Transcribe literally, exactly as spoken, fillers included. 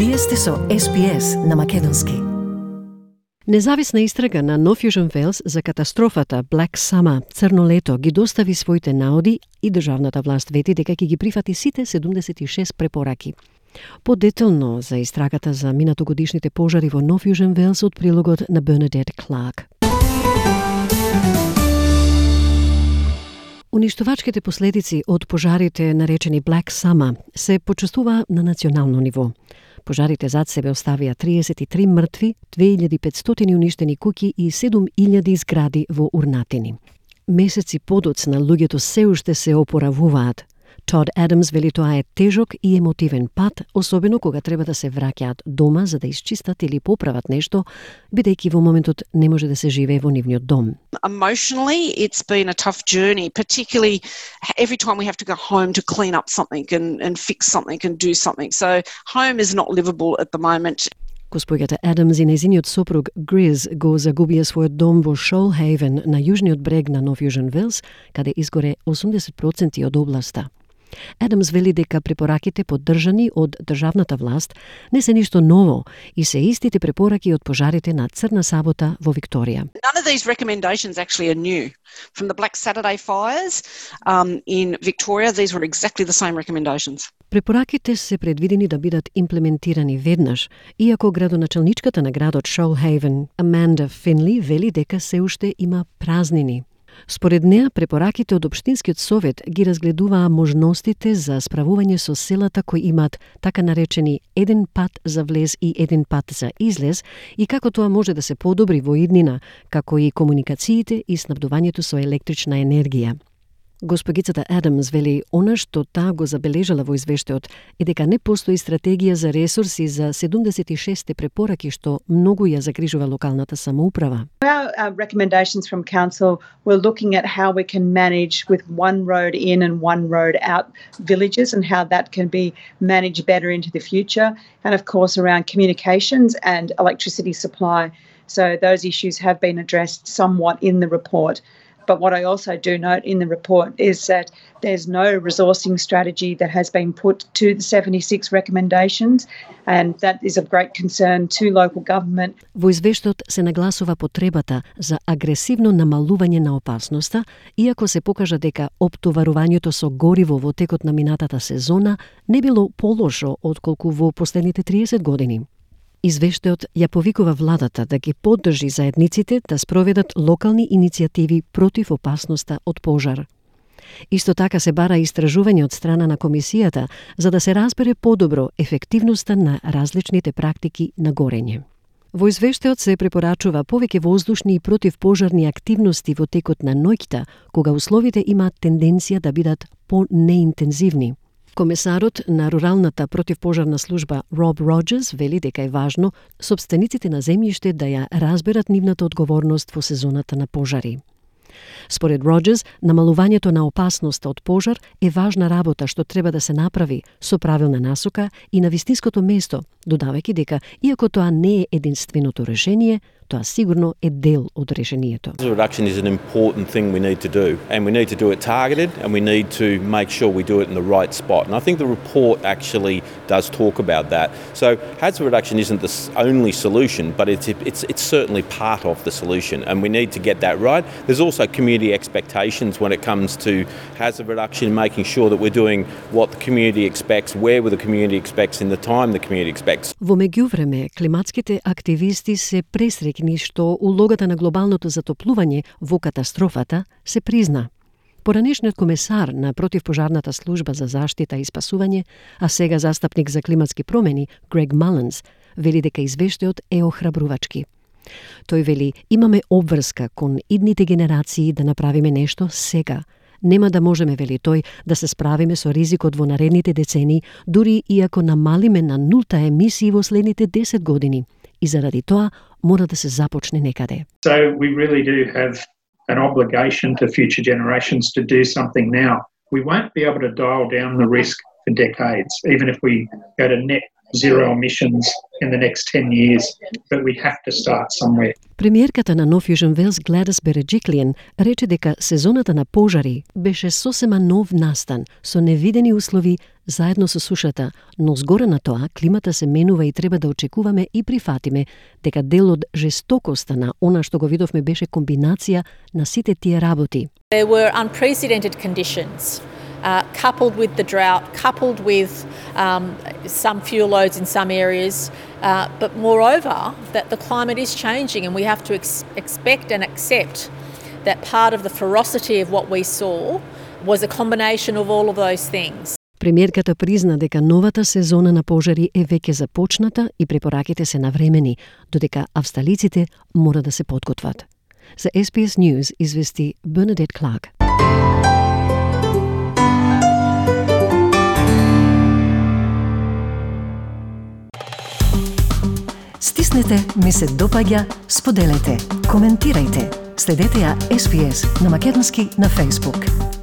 Вие сте со Ес Би Ес на македонски. Независна истрага на Нов Јужен Велс за катастрофата Black Summer, црно лето, ги достави своите наоди и државната власт вети дека ќе ги прифати сите седумдесет и шест препораки. Подетално за истрагата за минатогодишните пожари во Нов Јужен Велс од прилогот на Бернадет Кларк. Уништувачките последици од пожарите наречени Black Summer се почувствува на национално ниво. Пожарите зад себе оставија триесет и три мртви, две илјади и петстотини уништени куќи и седум илјади згради во урнатини. Месеци подоцна луѓето се уште се опоравуваат. Тод Адамс вели тоа е тежок и емотивен пат, особено кога треба да се враќаат дома за да исчистат или поправат нешто, бидејќи во моментот не може да се живее во нивниот дом. Emotionally, it's been a tough journey, particularly every time we have to go home to clean up something and, and fix something and do something. So home is not livable at the moment. Госпоѓата Адамс и незиниот сопруг Гриз го загубија својот дом во Shoalhaven на јужниот брег на Нов Јужен Велс, каде изгоре осумдесет проценти од областа. Адамс вели дека препораките поддржани од државната власт не се ништо ново и се истите препораки од пожарите на Црна сабота во Викторија. None of these recommendations actually are new. From the Black Saturday fires um, in Victoria, these were exactly the same recommendations. Препораките се предвидени да бидат имплементирани веднаш, иако градоначалничката на градот Shoalhaven, Amanda Finley, вели дека се уште има празнини. Според неа, препораките од Општинскиот совет ги разгледуваа можностите за справување со селата кои имаат така наречени еден пат за влез и еден пат за излез и како тоа може да се подобри во иднина, како и комуникациите и снабдувањето со електрична енергија. Госпогицата Адамс вели она што таа го забележала во извештајот е дека не постои стратегија за ресурси за седумдесет и шест препораки што многу ја загрижува локалната самоуправа. Our uh, recommendations from council were looking at how we can manage with one road in and one road out villages and how that can be managed better into the future, and of course around communications and electricity supply. So those issues have been addressed somewhat in the report. But what I also do note in the report is that there's no resourcing strategy that has been put to the seventy-six recommendations, and that is of great concern to local government. Во извештајот се нагласува потребата за агресивно намалување на опасноста, иако се покажа дека оптоварувањето со гориво во текот на минатата сезона не било полошо отколку во последните триесет години. Извештајот ја повикува владата да ги поддржи заедниците да спроведат локални иницијативи против опасноста од пожар. Исто така се бара истражување од страна на комисијата за да се разбере подобро ефективноста на различните практики на горење. Во извештајот се препорачува повеќе воздушни и противпожарни активности во текот на ноќта, кога условите имаат тенденција да бидат по-неинтензивни. Комесарот на руралната противпожарна служба Роб Роджерс вели дека е важно сопствениците на земјиште да ја разберат нивната одговорност во сезоната на пожари. Според Роджерс, намалувањето на опасноста од пожар е важна работа што треба да се направи со правилна насока и на вистинското место, додавајќи дека, иако тоа не е единственото решение, тоа сигурно е дел од решението. Reduction is an important thing we need to do, and we need to do it targeted, and we need to make sure we do it in the right spot. And I think the report actually does talk about that. So hazard reduction isn't the only solution, but it's it's it's certainly part of the solution, and we need to get that right. There's also community expectations when it comes to hazard reduction, making sure that we're doing what the community expects, where the community expects, in the time the community expects. Во меѓувреме, климатските активисти се пресрекни што улогата на глобалното затоплување во катастрофата се призна. Поранешниот комесар на противпожарната служба за заштита и спасување, а сега застапник за климатски промени, Грег Маланс, вели дека извештајот е охрабрувачки. Тој вели, имаме обврска кон идните генерации да направиме нешто сега. Нема да можеме, вели тој, да се справиме со ризикот во наредните децени, дури иако намалиме на нулта емисии во следните десет години. И заради тоа мора да се започне некаде. So we really do have an obligation to future generations to do something now. We won't be able to dial down the risk for decades, even if we go to net zero emissions in the next ten years, but we have to start somewhere. Премиерката на Нов Јужен Велс Гледис Береджиклиен рече дека сезоната на пожари беше сосема нов настан со невидени услови заедно со сушата, но згоре на тоа климата се менува и треба да очекуваме и прифатиме дека дел од жестокоста на она што го видовме беше комбинација на сите тие работи. There were unprecedented conditions. Uh, coupled with the drought, coupled with um, some fuel loads in some areas, uh, but moreover, that the climate is changing and we have to ex- expect and accept that part of the ferocity of what we saw was a combination of all of those things. Премиерката призна дека новата сезона на пожари е веќе започната и препораките се навремени, додека австралиците мора да се подготват. За Ес Би Ес News извести Бернадет Кларк. Стиснете, ми се допаѓа, споделете, коментирајте. Следете ја Ес Би Ес на македонски на Facebook.